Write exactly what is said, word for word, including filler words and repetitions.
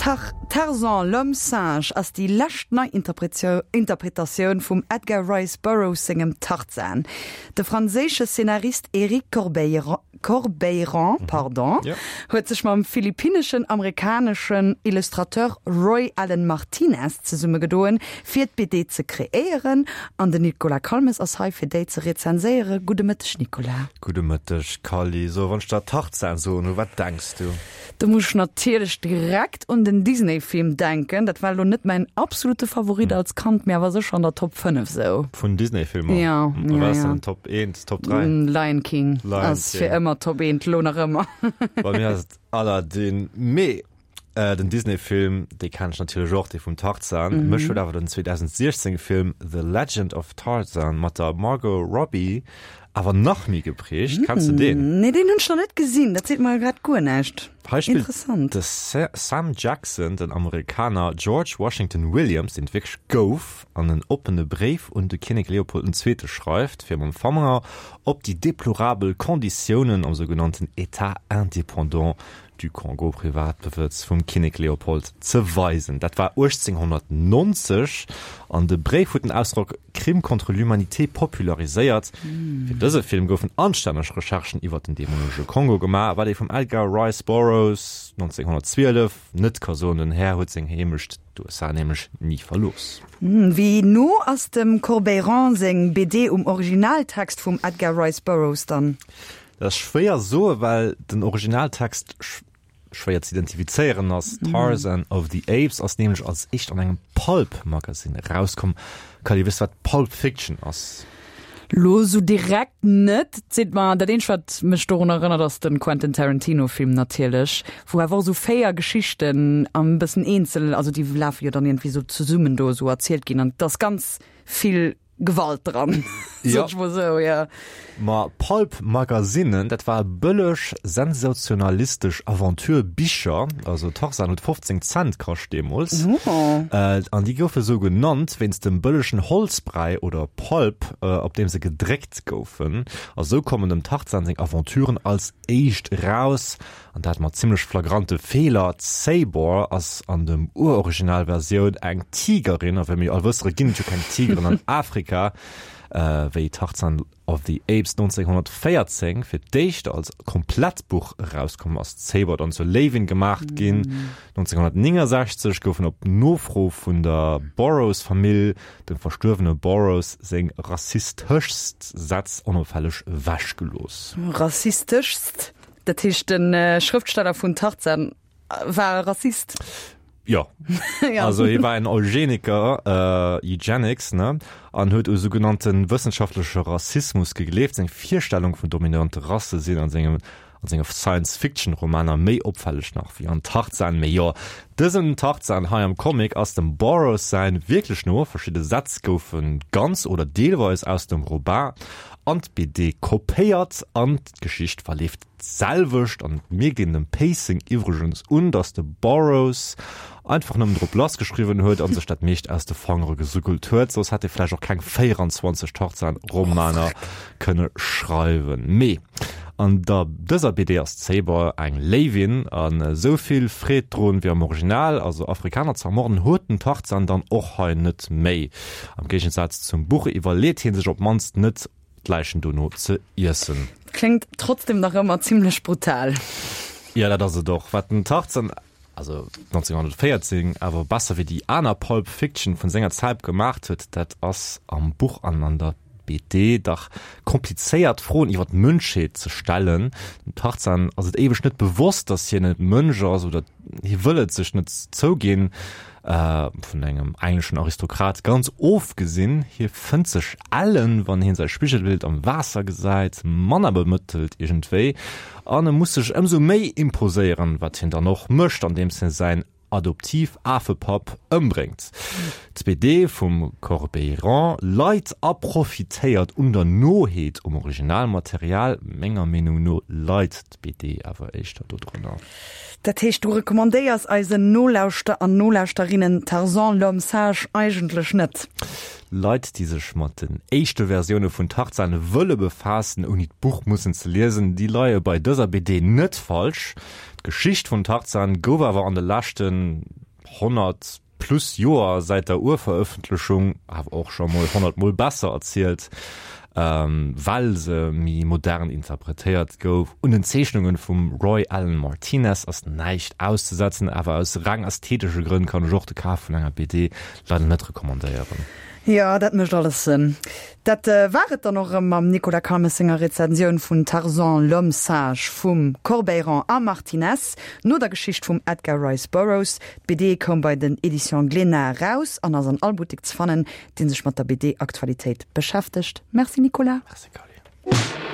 Tarzan, l'homme singe ass déi lescht nei Interpretatioun vum Edgar Rice Burroughs sengem Tarzan. De franséische Szenarist Eric Corbeyran huet sech mam philippinneschen-amerikaneschen Illustrateur Roy Allan Martinez zesummegedoen, fir d'B D ze kreéieren. An den Nicolas Calmes ass hei, fir déi ze rezenséieren. Gudde Mëtteg, Nicolas. Gudde Mëtteg, Kally. So, wann ech der Tarzan soen, u wat denks du? Do muss ech natierlech direkt un den Disney-Film denken. Dat war elo net mäin absolute Favorit als Kand, mee awer sécher an der Top fënnef sou. Vun Disney-Filmer? Jo, jo, jo. Wat ass dann Top eent, Top dräi? Lion King Lion ass King. fir ëmmer Top eent, lo nach ëmmer. Bei mir ass et Aladdin. Mee den Disney-Film, dee kennen ech natierlech och, dee vum Tarzan. Mech huet awer den zweedausendsechzéng Film The Legend of Tarzan mat der Margot Robbie awer nach méi geprägt. Kenns de deen? Nee, deen hunn ech nach net gesinn. Dat seet mer grad guer näischt. Hei spillt Interessant. de Sam Jackson den Amerikaner George Washington Williams, deen et wierklech gouf, an en oppene Bréif un de Kinnek Leopold den Zweete schreift, fir mam Fanger op déi deplorabel Konditiounen am sougenannten État indépendant du Congo, Privatbewëtz vum Kinnek Leopold, ze weisen. Dat war uechtzénghonnertnonzeg an de Bréif huet den Ausdrock Crime contre l'humanité populariséiert. Fir dëse Film goufen anstänneg Recherchen iwwer den deemolege Kongo gemaach, wat ee vum Edgar Rice Burroughs, nonzénghonnertzwielef, net ka soen, den Här huet seng Heemecht, d'U S A, nämlech ni verlooss. Wéi no ass dem Corbeyran seng B D um Originaltext vum Edgar Rice Burroughs dann? Dat ass schwéier soe well den Originaltext schwéier ze identifizéieren ass. Tarzan of the Apes ass nämlech als éischt an engem Pulp-Magazine erauskomm. Kally, weess de wat Pulp Fiction ass? Lo sou direkt net. Seet mer, dat eenzegt wat mech dorun erënnert ass den Quentin Tarantino Film natierlech, wou awer och sou véier Geschichten am bëssen eenzel, also déi lafe jo dann iergendwéi sou zesummen do sou erzielt ginn an et ass ganz vill Gewalt dran, Ja. sot ech mol sou, ja. Ma Pulp-Magazinen, dat war bëlleg sensationalistesch Aventure-Bicher, also Tarzan huet fofzéng Cent kascht deemools. Oh. An déi goufe sou genannt wéinst dem bëllegen Holzbräi oder Pulp, op deem se gedréckt goufen. A sou kommen dem Tarzan seng Aventuren als éischt eraus, an dat mat zimmlech flagrante Feeler. D'Sabor ass an dem Uroriginalversioun eng Tigerin, a wéi mir jo all wëssere ginn et jo keng Tigeren an Afrika. Wéi Tarzan of the Apes nonzénghonnertvéierzéng fir d'éischt als komplett Buch erauskomm, ass d'Sabor dann zur Léiwin gemaacht ginn. nonzénghonnertnéngensechzeg goufen op Nofro vun der Burroughs-Famill dem verstuerwene Burroughs seng rassisteschst Sätz onopfälleg ewechgelooss. Rassisteschst? Dat heescht de Schrëftsteller vun Tarzan war e Rassist? Jo. Ja. Also hie war en Eugeniker, Eugenics, ne, an huet u sougenannte wëssenschaftleche Rassismus gegleeft. Seng Virstellung vun dominante Rasse sinn an sengem an senge Science-Fiction-Romaner méi opfälleg nach wéi an Tarzan. Mee jo, dësen Tarzan hei am Comic ass dem Burroughs säin wierklech no. Verschidde Sätz goufe ganz oder deelweis aus dem Roman an d'B D kopéiert an d'Geschicht verleeft d'selwecht an et mierkt een dem Pacing iwwregens un, dass de Burroughs einfach nëmmen drop lass geschriwwen huet an sech dat meescht aus de Fangere gesuckelt huet, soss hätt e vläicht och keng véierenzwanzeg Tarzan-Romaner kënne schreiwen. Mee an der dëser B D ass d'Saber eng Léiwin an esou vill Freed drun wéi am Original, also Afrikaner ze ermorden, huet den Tarzan dann och hei net méi. Am Géigensaz zum Buch iwwerleet hie sech op d'mannst net, d'Läichen dono ze iessen. Kléngt trotzdem nach ëmmer zimlech brutal. Jo, dat ass et och. Wat den Tarzan, also nonzénghonnertvéierzéng, awer besser wéi déi aner Pulp Fiction vun senger Zäit gemaacht huet, dat ass am Buch an an der B D dach komplizéiert Froen iwwer d'Mënschheet ze stellen. Dem Tarzan ass et éiweg net bewosst, datt hien e Mënsch ass, oder hie wëll et sech net zouginn, vun engem engleschen Aristokrat ganz ofgesinn. Hie fënnt sech ellen, wann hien säi Spigelbild am Waasser gesäit, manner bemëttelt iergendwéi, an e muss sech ëmsou méi imposéieren, wat hien dann och mécht, andeems hie säin Adoptiv-Afepapp ëmbréngt. D'B D vum Corbeyran leit a profitéiert un der Noheet um Originalmaterial. Menger Meenung no leit d'B D awer éischter dodrënner. Dat heescht, du recommandéiers eisen Nolauschter an Nolauschterinnen Tarzan, l'homme sage eigentlech net? Leit, déi sech mat den éischte Versioune vun Tarzan wëlle befaassen, ouni d'Buch mussen ze liesen, déi leie bei dëser B D net falsch. D'Geschicht vun Tarzan gouf awer an de leschten honnert plus Joer säit der Urverëffentlechung awer och scho mol honnert mol besser erzielt, ähm, well se méi modern interpretéiert gouf. Un den Zeechnunge vum Roy Allan Martinez ass näischt auszesetzen, awer aus reng ästhetesche Grënn kann ech och de Kaf vun enger B D leider net recommandéieren. Jo, dat mécht alles Sënn. Dat äh, war et dann och erëm mam Nicolas Calmes senger Rezensioun vun Tarzan l'homme singe vum Corbeyran a Martinez, no der Geschicht vum Edgar Rice Burroughs. D'B D koum bei den Éditions Glénat eraus an ass an all Buttek ze fannen, dee sech mat der B D-Aktualitéit beschäftegt. Merci Nicolas. Merci Carly.